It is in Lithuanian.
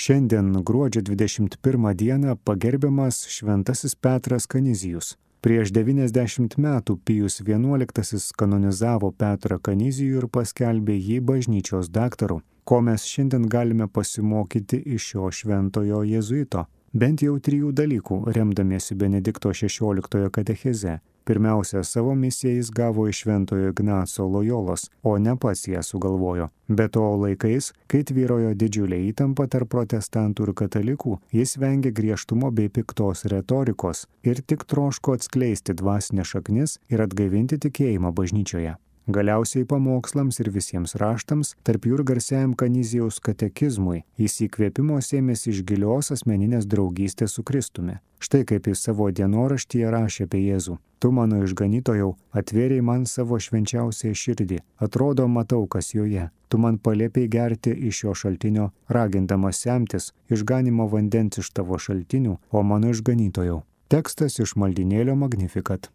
Šiandien gruodžio 21 dieną pagerbiamas Šventasis Petras Kanizijus. Prieš 90 metų Pijus XI kanonizavo Petrą Kanizijų ir paskelbė jį bažnyčios daktaru. Ko mes šiandien galime pasimokyti iš šio šventojo jėzuito? Bent jau 3 dalykų, remdamiesi Benedikto XVI katecheze. Pirmiausia, savo misiją jis gavo iš Šventojo Ignaco Lojolos, o ne pats ją sugalvojo. Be to laikais, kai tvyrojo didžiulė įtampa tarp protestantų ir katalikų, jis vengė griežtumo bei piktos retorikos ir tik troško atskleisti dvasinės šaknis ir atgaivinti tikėjimą bažnyčioje. Galiausiai pamokslams ir visiems raštams, tarp jų ir garsiajam Kanizijaus katekizmui, jis įkvėpimo sėmėsi iš gilios asmeninės draugystės su Kristumi. Štai kaip jis savo dienoraštyje rašė apie Jėzų. Tu, mano išganytojau, atvėrei man savo švenčiausią širdį. Atrodo, matau, kas joje. Tu man paliepiai gerti iš jo šaltinio, ragindamas semtis išganimo vandens iš tavo šaltinių, o mano išganytojau. Tekstas iš maldynėlio Magnificat.